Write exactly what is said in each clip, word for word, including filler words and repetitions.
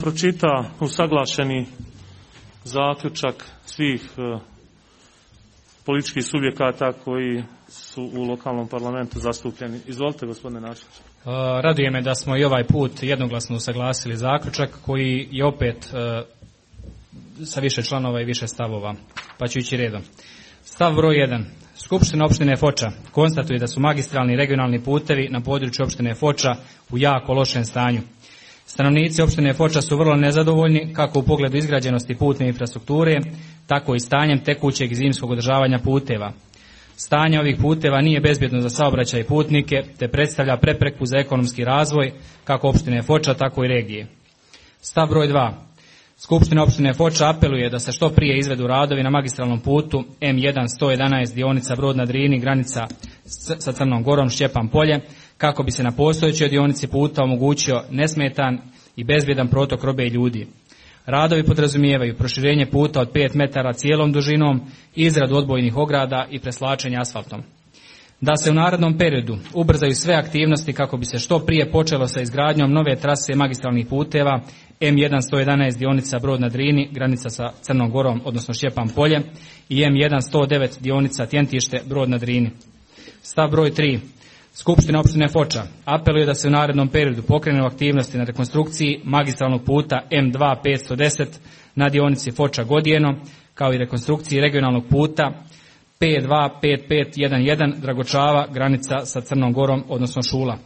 pročita usaglašeni zaključak svih e, političkih subjekata koji su u lokalnom parlamentu zastupljeni. Izvolite, gospodine načelniče. Raduje me da smo i ovaj put jednoglasno usaglasili zaključak koji je opet e, sa više članova i više stavova, pa ću ići redom. Stav broj jedan. Skupština opštine Foča konstatuje da su magistralni regionalni putevi na području opštine Foča u jako lošem stanju. Stanovnici opštine Foča su vrlo nezadovoljni kako u pogledu izgrađenosti putne infrastrukture, tako i stanjem tekućeg i zimskog održavanja puteva. Stanje ovih puteva nije bezbjedno za saobraćaj i putnike, te predstavlja prepreku za ekonomski razvoj kako opštine Foča, tako i regije. Stav broj dva. Skupština opštine Foča apeluje da se što prije izvedu radovi na magistralnom putu M jedan sto jedanaest dionica Brod na Drini, granica sa Crnom Gorom, Šćepan Polje, kako bi se na postojećoj dionici puta omogućio nesmetan i bezbjedan protok robe i ljudi. Radovi podrazumijevaju proširenje puta od pet metara cijelom dužinom, izradu odbojnih ograda i preslačenje asfaltom. Da se u narednom periodu ubrzaju sve aktivnosti kako bi se što prije počelo sa izgradnjom nove trase magistralnih puteva M jedan sto jedanaest dionica Brod na Drini, granica sa Crnom Gorom, odnosno Šćepan Polje, i M jedan sto devet dionica Tjentište, Brod na Drini. Stav broj tri. Skupština opštine Foča apeluje da se u narednom periodu pokrenu aktivnosti na rekonstrukciji magistralnog puta M dva petsto deset na dionici Foča Godijeno, kao i rekonstrukciji regionalnog puta P dva pet pet jedan jedan Dragočava, granica sa Crnom Gorom, odnosno Šula.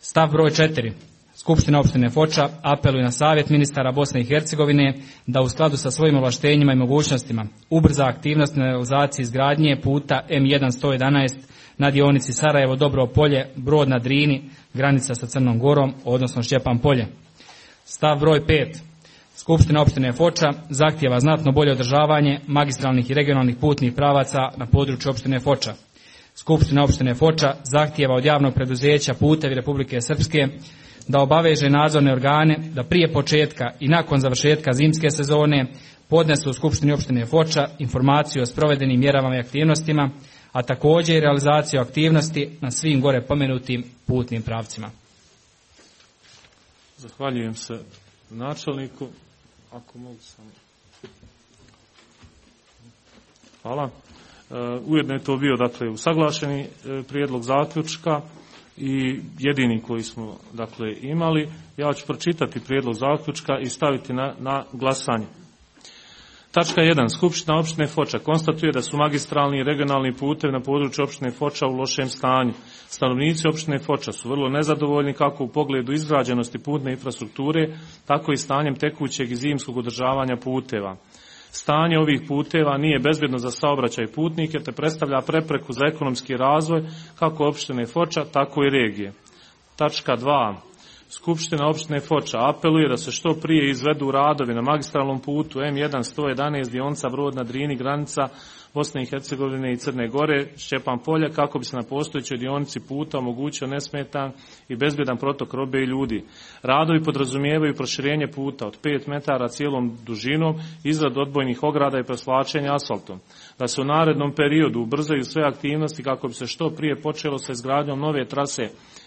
Stav broj četiri. Skupština opštine Foča apeluje na Savjet ministara Bosne i Hercegovine da u skladu sa svojim ovlaštenjima i mogućnostima ubrza aktivnost na realizaciji izgradnje puta M jedan sto jedanaest na dionici Sarajevo Dobro Polje, Brod na Drini, granica sa Crnom Gorom, odnosno Šćepan Polje. Stav broj pet. Skupština opštine Foča zahtijeva znatno bolje održavanje magistralnih i regionalnih putnih pravaca na području opštine Foča. Skupština opštine Foča zahtijeva od javnog preduzeća Putevi Republike Srpske da obaveže nadzorne organe da prije početka i nakon završetka zimske sezone podnesu u Skupštini opštine Foča informaciju o sprovedenim mjerama i aktivnostima, a također i realizaciju aktivnosti na svim gore pomenutim putnim pravcima. Zahvaljujem se načelniku. Ako mogu sam. Hvala. Ujedno je to bio, dakle, usaglašeni prijedlog zaključka i jedini koji smo, dakle, imali. Ja ću pročitati prijedlog zaključka i staviti na, na glasanje. Tačka jedan. Skupština opštine Foča konstatuje da su magistralni i regionalni putevi na području opštine Foča u lošem stanju. Stanovnici opštine Foča su vrlo nezadovoljni kako u pogledu izgrađenosti putne infrastrukture, tako i stanjem tekućeg i zimskog održavanja puteva. Stanje ovih puteva nije bezbjedno za saobraćaj putnike, te predstavlja prepreku za ekonomski razvoj kako opštine Foča, tako i regije. Tačka dva. Skupština opštine Foča apeluje da se što prije izvedu radovi na magistralnom putu M jedan sto jedanaest dionica Brod na Drini, granica Bosne i Hercegovine i Crne Gore, Šćepan Polje, kako bi se na postojećoj dionici puta omogućio nesmetan i bezbjedan protok robe i ljudi. Radovi podrazumijevaju proširenje puta od pet metara cijelom dužinom, izradu odbojnih ograda i preslačenje asfaltom. Da se u narednom periodu ubrzaju sve aktivnosti kako bi se što prije počelo sa izgradnjom nove trase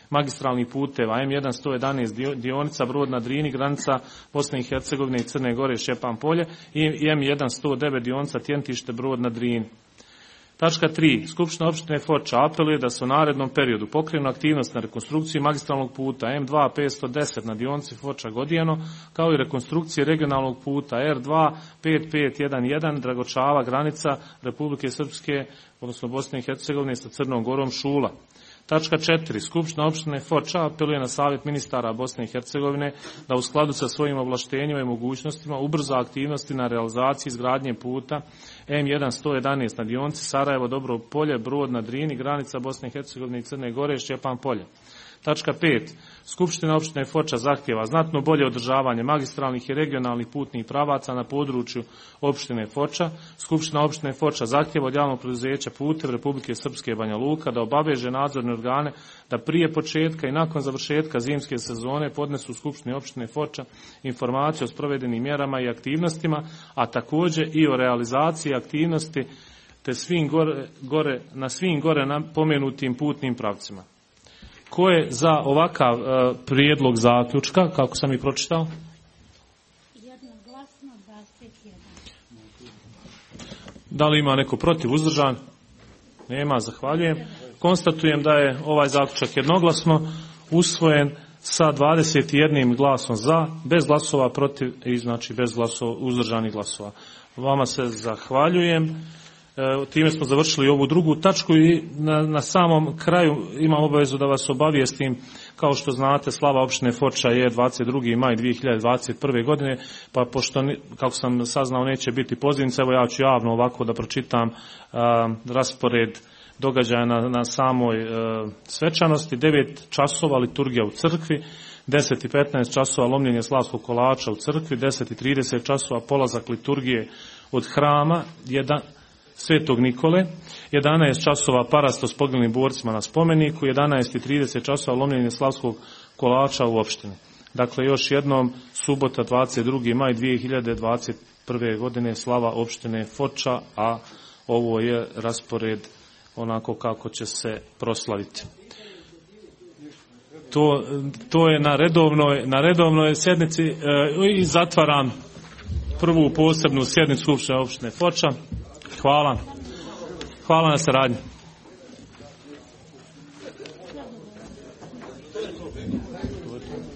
magistralnih puteva M jedan sto jedanaest dionica Brod na Drini, granica Bosne i Hercegovine i Crne Gore, Šćepan Polje, i M jedan sto devet dionica Tjentište, Brod na Drini. Tačka tri. Skupština opštine Foča apeluje da se u narednom periodu pokrenu aktivnost na rekonstrukciji magistralnog puta M dva petsto deset na dionici Foča Godijeno, kao i rekonstrukcije regionalnog puta R dva pet pet jedan jedan Dragočava, granica Republike Srpske, odnosno Bosne i Hercegovine sa Crnom Gorom, Šula. Tačka četiri. Skupština opštine Foča apeluje na Savjet ministara Bosne i Hercegovine da u skladu sa svojim ovlaštenjima i mogućnostima ubrza aktivnosti na realizaciji izgradnje puta M jedan sto jedanaest na dionici Sarajevo Dobro Polje, Brod na Drini, granica Bosne i Hercegovine i Crne Gore, Šćepan Polje. Tačka pet. Skupština opštine Foča zahtijeva znatno bolje održavanje magistralnih i regionalnih putnih pravaca na području opštine Foča. Skupština opštine Foča zahtijeva od javnog preduzeća Putevi Republike Srpske Banja Luka da obaveže nadzorne organe da prije početka i nakon završetka zimske sezone podnesu u Skupštini opštine Foča informaciju o sprovedenim mjerama i aktivnostima, a također i o realizaciji aktivnosti te svim gore, gore, na svim gore pomenutim putnim pravcima. Ko je za ovakav uh, prijedlog zaključka, kako sam i pročitao? Jednoglasno dvadeset jedan. Da li ima neko protiv, uzdržan? Nema, zahvaljujem. Konstatujem da je ovaj zaključak jednoglasno usvojen sa dvadeset jednim glasom za, bez glasova protiv i znači bez glasova, uzdržanih glasova. Vama se zahvaljujem. E, time smo završili ovu drugu tačku i na, na samom kraju imam obavezu da vas obavijestim. Kao što znate, slava opštine Foča je dvadeset drugi maj dvije hiljade dvadeset prve. godine, pa pošto, kako sam saznao, neće biti pozivnica, evo ja ću javno ovako da pročitam a, raspored događaja na, na samoj e, svečanosti. devet časova liturgija u crkvi, deset i petnaest časova lomljenje slavskog kolača u crkvi, deset i trideset časova polazak liturgije od hrama, jedan, Svetog Nikole, jedanaest časova parasto s poginulim borcima na spomeniku, jedanaest i trideset časova lomljenje slavskog kolača u opštini. Dakle, još jednom, subota dvadeset drugi maj dvije hiljade dvadeset prve. godine, slava opštine Foča, a ovo je raspored onako kako će se proslaviti. To, to je na redovnoj, na redovnoj sjednici e, i zatvaram prvu posebnu sjednicu Skupštine opštine Foča. Hvala. Hvala na saradnji.